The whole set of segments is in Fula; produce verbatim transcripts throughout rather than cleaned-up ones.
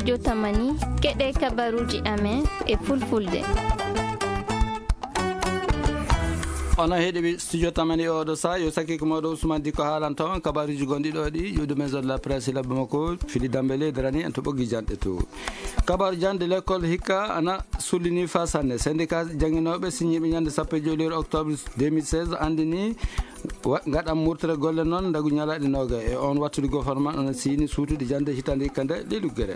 Studio Tamani, keɗe kabaruuji amen e fulfulde. Onon heɗiɓe Studio Tamani e oɗo saa, yo sakiiko mooɗo Ousmane Diko haalanta on kabaruuji gonɗi ɗo ɗi, ƴuwde maison de la presse labbe makko, Fili Dambele darani en to ɓoggi janɗe to. Kabaru jande l'école hikka ana sullini fa sanne. Syndicat jannginooɓe siñiiɓe ñande sappo e joy lewru octobre deux mille seize anndini wa-, ngaɗan murtere golle noon ndagu ñalaaɗe noogay. E on wattude gouvernement ana siini suutude jande hitande hikka nde ley luggere.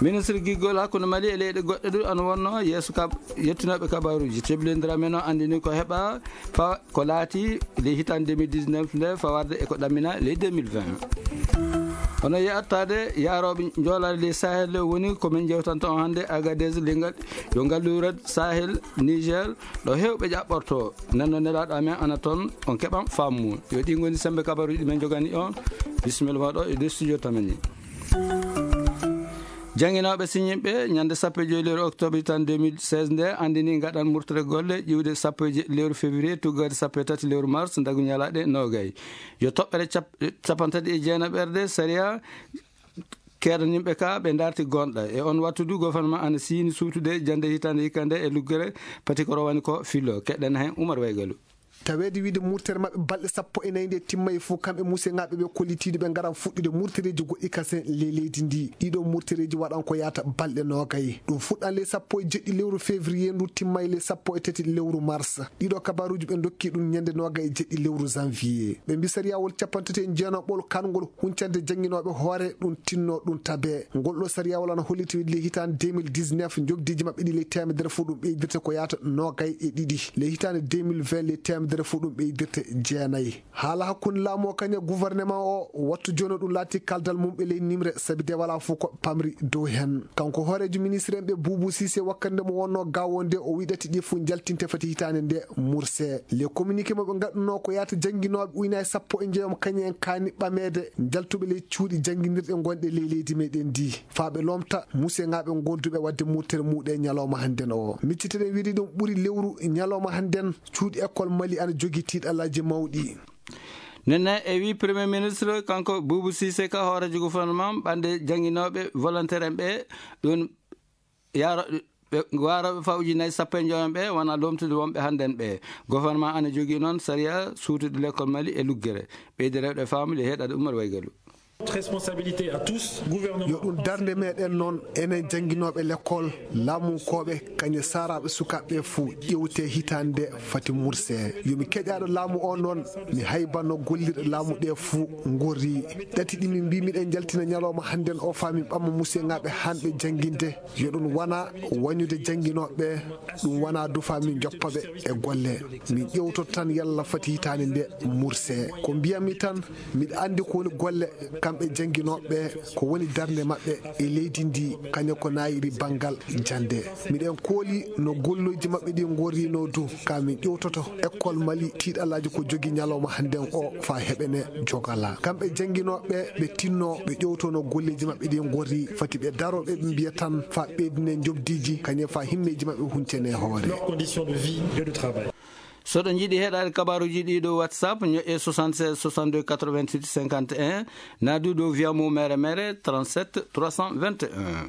Ministre giggol hakkunde Mali e leyɗe goɗɗe ɗum ana wonno yeeso kab-, yettinooɓe kabaruuji. Teblindiraa men o anndini ko heɓa fa ko laati ley hitande deux mille dix-neuf nde fawarde e ko ɗammina ley deux mille vingt. Hono yettaade yaarooɓe njoolaade ley Sahel woni ko min njewtanta on hannde Agadez, lingal yo ngalluure Sahel Niger ɗo heewɓe ƴaɓɓorto. Nden noon nelaaɗo amen ana toon, on keɓan faamu. Yo ɗi ngoni sembe kabaruuji ɗi min njogani on. Bisimilla ma ɗo e nder studio Tamani. Jannginooɓe siñiiɓe ñande sappo e joy lewru octobre tan deux mille seize nde anndini ngaɗan murtere golle ƴiwde sappo e jeɗɗi lewru février tuggade sappo e tati lewru mars ndagu ñalaaɗe noogay. Yo toɓɓere cap-, capantati e jeenaɓerde sariya keedanimɓe ka ɓe darti gonɗa. E on wattu du gouvernement ana siini suutude jande hitande hikka nde e luggere pati ko rowani ko filo. Keɗen heen Oumar Waygalu. Taweede wiide murtere maɓɓe balɗe sappo e nayi nde timmayi fof, kamɓe museŋaaɓe ɓe kollitiiɗo ɓe ngaran fuɗɗude murtereeji goɗɗi kasen ley leydi ndi. Ɗiɗo murtereeji waɗan ko yaata balɗe noogay. Ɗum fuɗɗan ley sappo e jeɗɗi lewru février ndu timmay ley sappo e tati lewru mars. Ɗiɗo kabaruuji ɓe ndokki ɗum ñande noogay e jeɗɗi lewru janvier. Ɓe mbi sariyawol cappanɗe tati e jeenaɓol kangol huncande jannginooɓe hoore ɗum tinno ɗum tabe. Ngol ɗo sariyawol ana holliti wiide ley hitaande deux mille dix-neuf njoɓdiiji maɓɓe ɗi ley teemedere fof ɗum ɓeydirte ko yaata noogay e ɗiɗi. Ley hitaande deux mille vingt ley teemedere fof ɗum ɓeydirte jeenayi. Haala hakkunde laamu o kañum e gouvernement o wattu jooni o ɗum laati kaldal mum ɓe ley nimre sabi de wala fof ko pamri dow heen. Kanko hooreejo ministre en ɓe Boubou Cissé wakkande mo wonno gawo nde o wiɗati ɗi fof njaltinte fati hitaande nde murse. Le communiqué mo ɓe ngaɗuno ko yaata jannginooɓe uynaye sappo e njeegom kañum en kaani ɓameede njaltuɓe ley cuuɗi jannginirɗe gonɗe ley leydi meɗen ndi. Faa ɓe lomta museŋaaɓe gonduɓe waɗde murtere muɗe ñalawma hannden o. Micciteɗen wiide ɗum ɓuri lewru ñalawma hannden cuuɗi école Mali ana jogi tiiɗalaaji mawɗi. Nenne e wi Premier Ministre kanko Boubou Cissé ka hooreejo gouvernement ɓande jannginooɓe volontaire en ɓe ɗum yaaro ɓe waarooɓe fawji nayi sappo e joom ɓe wona lomtude wonɓe hannden ɓe. Gouvernement ana jogii noon sariya suutude l'école Mali e luggere. Ɓeyde rewɗe faamu le heɗade Oumar Waygalu. Responsabilité à tous, gouvernement. Yo ɗum darnde meɗen noon enen jannginooɓe l'école, laamunkooɓe, kañe saaraaɓe sukaaɓe ɓe fof ƴewte hitaande nde fati murse. Yo mi keƴaaɗo laamu o noon, mi haybanno gollirɗe laamu ɗe fof ngorri. Ɗati ɗi min mbi miɗen njaltina ñalawma hannden o faa min ɓamma museŋaaɓe hanɓe jannginde. Yo ɗum wona wañude jannginooɓe ɓe, ɗum wona dufa min joppa ɓe e golle. Min ƴewtoto tan yalla fati hitaande nde murse. Ko mbiyami tan, miɗa anndi ko woni golle kamɓe jannginooɓe ɓe, ko woni darnde maɓɓe e leydi ndi, kañum ko naayiri banngal jannde. Miɗen kooli no golloji maɓɓe ɗi ngorrino du, ka min ƴewtoto école Mali tiiɗalaaji ko jogi ñalawma hannden o faa heɓene jogala. Kamɓe jannginooɓe ɓe, ɓe tinno ɓe ƴewtono golleji maɓɓe ɗi ngorri, fati ɓe daro ɓe, ɓe mbiya tan faa ɓeydine njoɓdiiji, kañum faa himmeeji maɓɓe huncene hoore. Leurs conditions de vie et de travail. So ɗo njiɗi heɗaade kabaaruuji ɗi ɗo WhatsApp, ñoƴƴe soixante-seize soixante-deux quatre-vingt-huit cinquante et un, naa du ɗo via mo mere mere trente-sept trois cent vingt et un.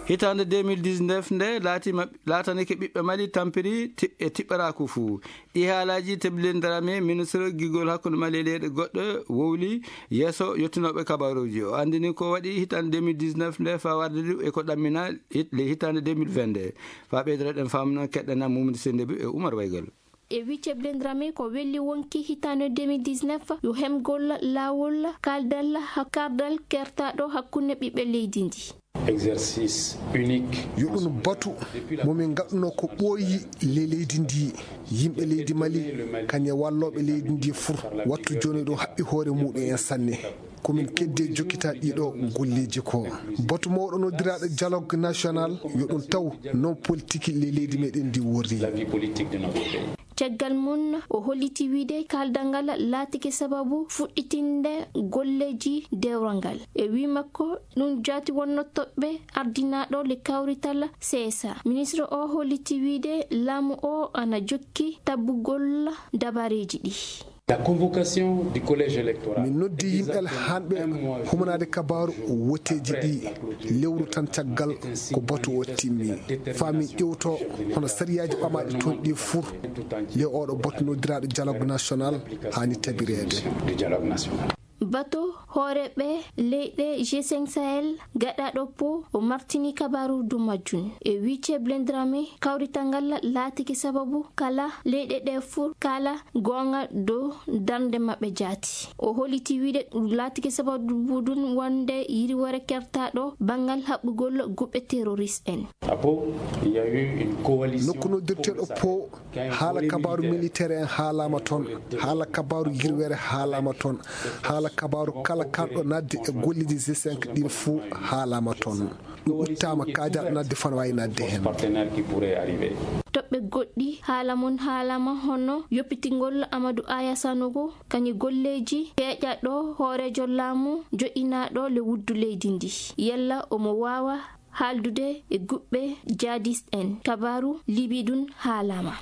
Hitaande deux mille dix-neuf nde laati ma-, laatanike ɓiɓɓe Mali tampiri ti-, e tiɓɓaraaku fuu. Ɗi haalaaji Teblindarame, ministre gigol hakkunde Mali e leyɗe goɗɗe, wowli yeeso yottinooɓe kabaaruuji. O anndini ko waɗi hitaande deux mille dix-neuf nde faa warde du e ko ɗammina hit-, le hitaande deux mille vingt nde. Faa ɓeydoreɗen faamu noon, keɗɗen Mamadou Sendebou e Oumar Waygal. E wii Teblindarame ko welli wonki hitaande deux mille dix-neuf, yo hemgol laawol kaaldal, kardal kertaaɗo hakkunde ɓiɓɓe leydi ndi. Exercice unique. Yo ɗum batu mo min ngaɗuno ko ɓooyi le-, leydi ndi. Yimɓe leydi Mali, kañe wallooɓe leydi ndi fur, wattu jooni ɗo haɓɓi hoore muɗum en sanne. Ko min keddi e jokkita ɗiɗo golleji ko. Batu mawɗo noddiraaɗo dialogue national, yo ɗum taw non politique le-, leydi meɗen ndi worri. La vie politique de notre pays. Caggal mum, o holliti wiide kaaldal ngal laatike sababu fuɗɗitinde golleji dewral ngal. E wii makko, ɗum jaati wonno toɓɓe ardinaaɗo le kawrital C S A. Ministre o holliti wiide laamu o ana jokki tabbugol dabareeji ɗi. La convocation du collège électoral. Min noddi yimɓe hanɓe humanaade kabaaru woteeji ɗi lewru tan caggal ko batu o timmi. Faa min ƴewto hono sariyaaji ɓamaaɗi toon ɗi fur le oɗo batu noddiraaɗo dialogue national haani tabireede. Bato hooreeɓe leyɗe G cinq Sahel gaɗaaɗo po o martini kabaaru dow majjum. E wiice Blendrame kawrital ngal laatike sababu kala leyɗe ɗe fur kala goonga dow darnde maɓɓe jaati. O holliti wiide ɗum laatike sababu ɗum wonde yirwere kertaaɗo banngal haɓɓugol guɓɓe terroriste en. Après, il y a eu une coalition. Nokku noddirteeɗo po, haala kabaaru militaire en haalaama toon, haala kabaaru yirwere haalaama toon, haala kabaaru kala kanɗo nadde e golleeji G cinq ɗin fuu haalaama toon. Ɗum uttaama kaajaɗo nadde fana waawi nadde heen. Partenaire qui pourrait arriver. Toɓɓe goɗɗi haala mon haalama hono yoppitingol Amadou Aya Sanogo, kañum golleeji peeƴaɗo hooreejo laamu joɗɗinaaɗo le wuddu leydi ndi. Yalla omo waawa haaldude e guɓɓe jihadist en. Kabaaru Libi ɗum haalama.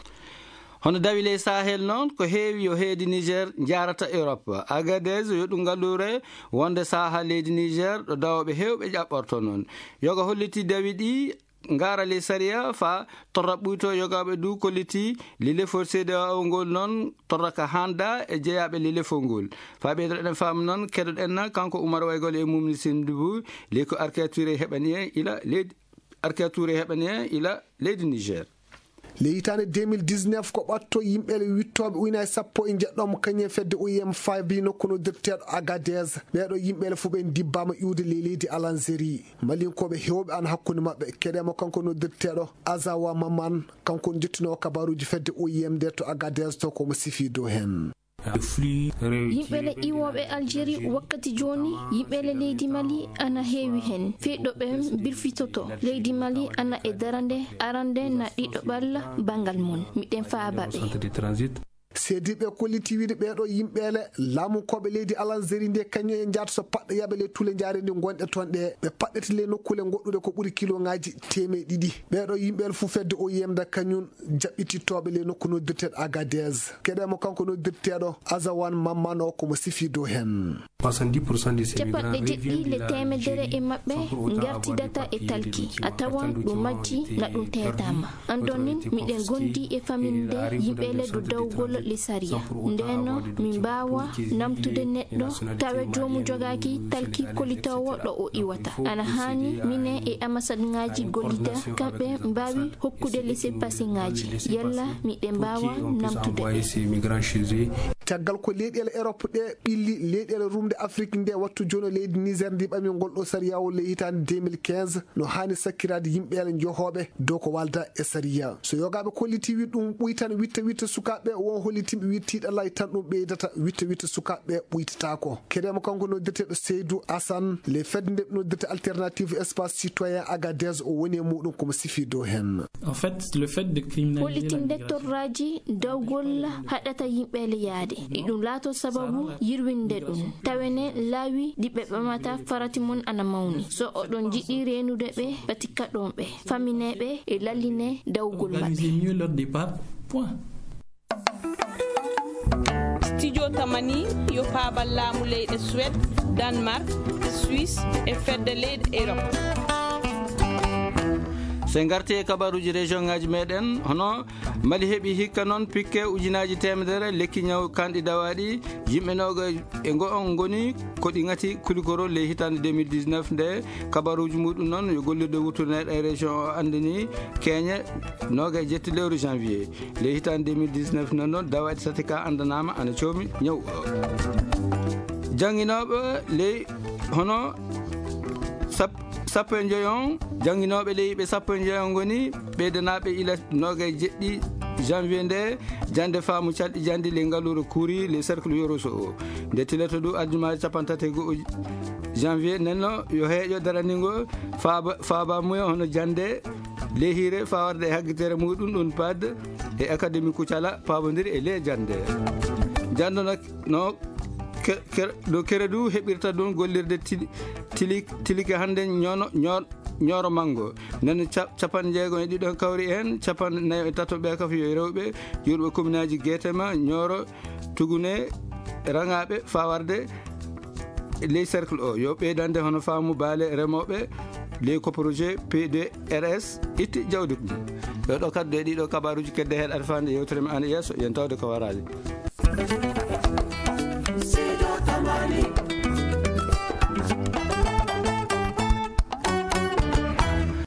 Hono dawi ley Sahel noon, ko heewi yo heedi Niger njaarata Europe. Agadez yo ɗum ngalluure wonde saha leydi Niger ɗo dawooɓe heewɓe ƴaɓɓorto noon. Yoga holliti dawi ɗi ngaara ley sariya fa torra ɓuyto yogaaɓe du kolliti lile for C D A O ngol noon torra ka handa e jeyaaɓe lile fo ngol. Fa ɓeydo ɗen faamu noon, keɗoɗen kanko Umar Waygol e Mumni Sindubu, ley ko arkiyature heɓani en ila leydi, arkiyature heɓani en ila leydi Niger. Le hitaande deux mille dix-neuf ko ɓatto yimɓeele wittooɓe ujunaaji sappo e njeɗɗo mo kañum e fedde O I M faabi nokku noddirteeɗo Agadez. Ɓeeɗo yimɓeele fof ɓe ndibbaama iwde ley leydi Alanzeri. Malinkooɓe heewɓe ana hakkunde maɓɓe. Keɗeemo kanko noddirteeɗo Azawa Maman, kanko on jottinoowo kabaaruuji fedde O I M nde to Agadez to ko mo sifi dow heen. Yimɓeele iwooɓe Algérie wakkati jooni, yimɓeele leydi Mali ana heewi heen. Fii ɗo ɓe mbirfitoto, leydi Mali ana e darande arande na ɗiɗo ɓalla banngal mum. Miɗen faaba ɓe. Seediiɓe kolliti wiide ɓeeɗo yimɓeele laamunkooɓe leydi Alanzeri nde kañum e njaata so paɗɗo yaɓe ley tule njaare ndi ngonɗe toon ɗe. Ɓe paɗɗete ley nokkuule goɗɗuɗe ko ɓuri kiloŋaaji teemeɗe ɗiɗi. Ɓeeɗo yimɓeele fof fedde O I M da kañum jaɓɓitittooɓe ley nokku noddirteeɗo Agadez. Keɗeemo kanko noddirteeɗo Azawan Mammano ko mo sifi dow heen. Capanɗe jeɗɗi le teemedere e maɓɓe ngartidata e talki, a tawan ɗum majji na ɗum teetaama. Andon nin, miɗen gondi e famille nde yimɓe le dow dawgol le sariya. Ndeno, min mbaawa namtude neɗɗo, tawe joomu jogaaki talki kolitoowo ɗo o iwata. Ana haani minen e ambassade ŋaaji gollida, kamɓe mbaawi hokkude laissez-passer ŋaaji. Yalla miɗen mbaawa namtude ɓe. Caggal ko leyɗeele Europe ɗe ɓilli leyɗeele rumde Afrique nde wattu jooni, leydi Niger ndi ɓami ngol ɗo sariya o ley hitaande deux mille quinze, no haani sakkiraade yimɓeele johooɓe dow ko walda e sariya. So yogaaɓe kolliti wi ɗum ɓuytan witta witta sukaaɓe, won hollitimɓe wi tiiɗalay tan ɗum ɓeydata witta witta sukaaɓe ɓuytataako. Keɗeemo kanko noddirteeɗo Seydou Assane, le fedde nde ɓe noddirta Alternative Espace Citoyen Agadez o woni e muɗum komo sifi dow heen. En fait, le fait de criminaliser la migration. Hollitinde torraaji dawgol haɗata yimɓe le yaade. E ɗum laato sababu yirwinde ɗum. Tawene laawi ɗi ɓe ɓamata farati mum ana mawni. So oɗon jiɗi reenude ɓe, pati kaɗon ɓe, famine ɓe e lalline dawgol maɓɓe. Organiser mieux leur départ. Point. Studio Tamani yo paabal laamu leyɗe Suède, Danemark, Suisse e fedde leyɗe Europe. So en ngarti e kabaruuji région ŋaaji meɗen, hono Mali heɓi hikka noon pikke ujunaaji teemedere lekki ñaw kanɗi dawaaɗi, yimɓe noogaas e ngo on ngoni ko ɗi ŋati kulikoro ley hitaande deux mille dix-neuf nde. Kabaruuji muɗum noon yo gollirde wuttude e région o anndini keeñe noogaas e jetti lewru janvier. Ley hitaande deux mille dix-neuf noon, noon dawaaɗi tati ka anndanaama ana coomi ñaw o. Jannginooɓe ley hono sap-, sappo e joy on, jannginooɓe ley ɓe sappo e joy on ngoni ɓeydanaaɓe ila noogaas e jeɗɗi janvier nde, jannde faamu calɗi janndi ley ngaluure Kouri, ley cercle Yoroso o. Nde tilata du aljuma capanɗe tati e go'o janvier, nenno yo heeƴo daraningo faaba, faaba muya hono jannde ley hiire fawarde e haggitere muɗum ɗum pad e académie Kucala paabondiri e ley jannde. Jannde no, no ke-, ke-, no kere du heɓirta ɗum gollirde tili-, tili-, tilike hannde ñoono-, ñoo-, Ñooro Manngo. Nden ca- capanɗe jeegom e ɗiɗo kawri heen, capanɗe nayo e tato ɓe kaf yo rewɓe, yurɓe kominaaji Geetema, Ñooro, Tugune, Raŋaaɓe, faa warde ley cercle o. Yo ɓeydande hono faamu baale remooɓe ley ko projet P deux R S itti jawdi mum. Ɗo ɗo kadi e ɗiɗo kabaaruuji kedde heɗaade faande yewtere men an yeeso, yen tawde ko waraade.